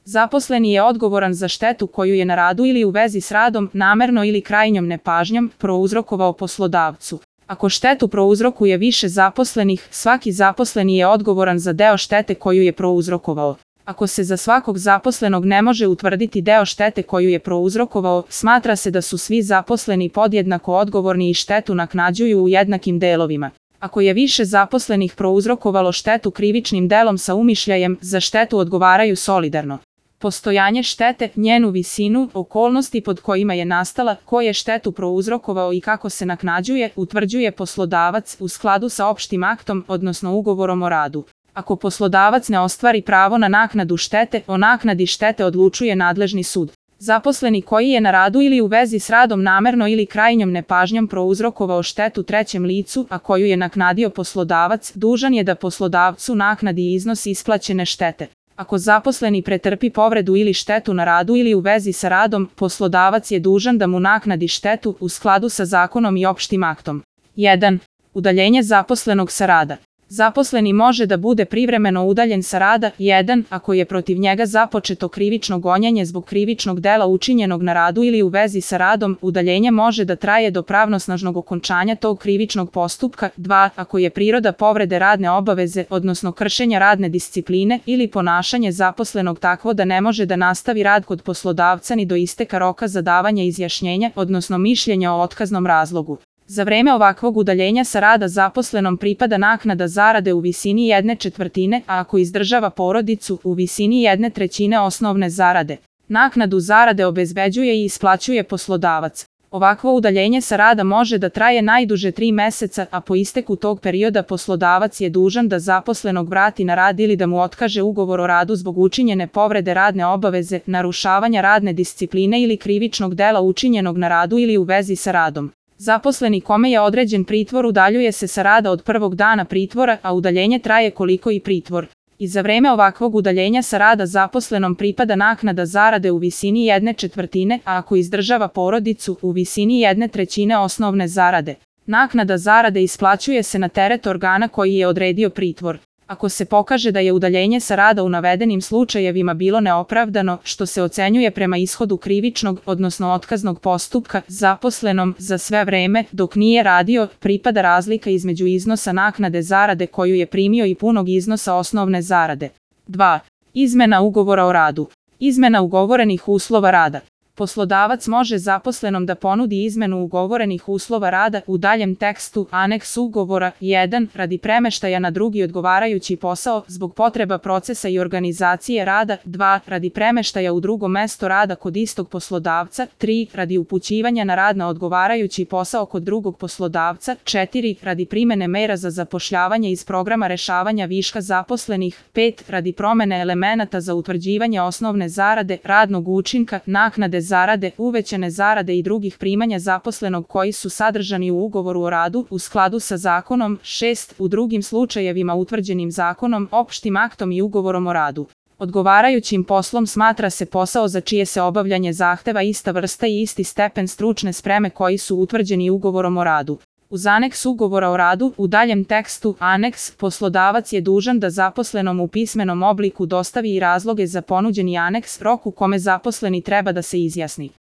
Zaposleni je odgovoran za štetu koju je na radu ili u vezi s radom, namerno ili krajnjom nepažnjom, prouzrokovao poslodavcu. Ako štetu prouzrokuje više zaposlenih, svaki zaposleni je odgovoran za deo štete koju je prouzrokovao. Ako se za svakog zaposlenog ne može utvrditi deo štete koju je prouzrokovao, smatra se da su svi zaposleni podjednako odgovorni i štetu naknađuju u jednakim delovima. Ako je više zaposlenih prouzrokovalo štetu krivičnim delom sa umišljajem, za štetu odgovaraju solidarno. Postojanje štete, njenu visinu, okolnosti pod kojima je nastala, ko je štetu prouzrokovao i kako se naknađuje, utvrđuje poslodavac u skladu sa opštim aktom, odnosno ugovorom o radu. Ako poslodavac ne ostvari pravo na naknadu štete, o naknadi štete odlučuje nadležni sud. Zaposleni koji je na radu ili u vezi s radom namerno ili krajnjom nepažnjom prouzrokovao štetu trećem licu, a koju je naknadio poslodavac, dužan je da poslodavcu naknadi iznos isplaćene štete. Ako zaposleni pretrpi povredu ili štetu na radu ili u vezi sa radom, poslodavac je dužan da mu naknadi štetu u skladu sa zakonom i opštim aktom. 1. Udaljenje zaposlenog sa rada. Zaposleni može da bude privremeno udaljen sa rada, 1. ako je protiv njega započeto krivično gonjenje zbog krivičnog dela učinjenog na radu ili u vezi sa radom, udaljenje može da traje do pravnosnažnog okončanja tog krivičnog postupka, 2. ako je priroda povrede radne obaveze, odnosno kršenja radne discipline ili ponašanje zaposlenog takvo da ne može da nastavi rad kod poslodavca ni do isteka roka za davanje izjašnjenja, odnosno mišljenja o otkaznom razlogu. Za vreme ovakvog udaljenja sa rada zaposlenom pripada naknada zarade u visini 1/4, a ako izdržava porodicu, u visini 1/3 osnovne zarade. Naknadu zarade obezbeđuje i isplaćuje poslodavac. Ovakvo udaljenje sa rada može da traje najduže 3 meseca, a po isteku tog perioda poslodavac je dužan da zaposlenog vrati na rad ili da mu otkaže ugovor o radu zbog učinjene povrede radne obaveze, narušavanja radne discipline ili krivičnog dela učinjenog na radu ili u vezi sa radom. Zaposleni kome je određen pritvor udaljuje se sa rada od prvog dana pritvora, a udaljenje traje koliko i pritvor. I za vreme ovakvog udaljenja sa rada zaposlenom pripada naknada zarade u visini 1/4, a ako izdržava porodicu, u visini 1/3 osnovne zarade. Naknada zarade isplaćuje se na teret organa koji je odredio pritvor. Ako se pokaže da je udaljenje sa rada u navedenim slučajevima bilo neopravdano, što se ocenjuje prema ishodu krivičnog, odnosno otkaznog postupka, zaposlenom za sve vreme, dok nije radio, pripada razlika između iznosa naknade zarade koju je primio i punog iznosa osnovne zarade. 2. Izmena ugovora o radu. Izmena ugovorenih uslova rada. Poslodavac može zaposlenom da ponudi izmenu ugovorenih uslova rada u daljem tekstu, aneks ugovora, 1. radi premeštaja na drugi odgovarajući posao, zbog potreba procesa i organizacije rada, 2. radi premeštaja u drugo mesto rada kod istog poslodavca, 3. radi upućivanja na rad na odgovarajući posao kod drugog poslodavca, 4. radi primene mera za zapošljavanje iz programa rešavanja viška zaposlenih, 5. radi promene elemenata za utvrđivanje osnovne zarade, radnog učinka, naknade zarade, uvećane zarade i drugih primanja zaposlenog koji su sadržani u ugovoru o radu u skladu sa zakonom, 6. u drugim slučajevima utvrđenim zakonom, opštim aktom i ugovorom o radu. Odgovarajućim poslom smatra se posao za čije se obavljanje zahteva ista vrsta i isti stepen stručne spreme koji su utvrđeni ugovorom o radu. Uz aneks ugovora o radu, u daljem tekstu, aneks, poslodavac je dužan da zaposlenom u pismenom obliku dostavi i razloge za ponuđeni aneks, rok u kome zaposleni treba da se izjasni.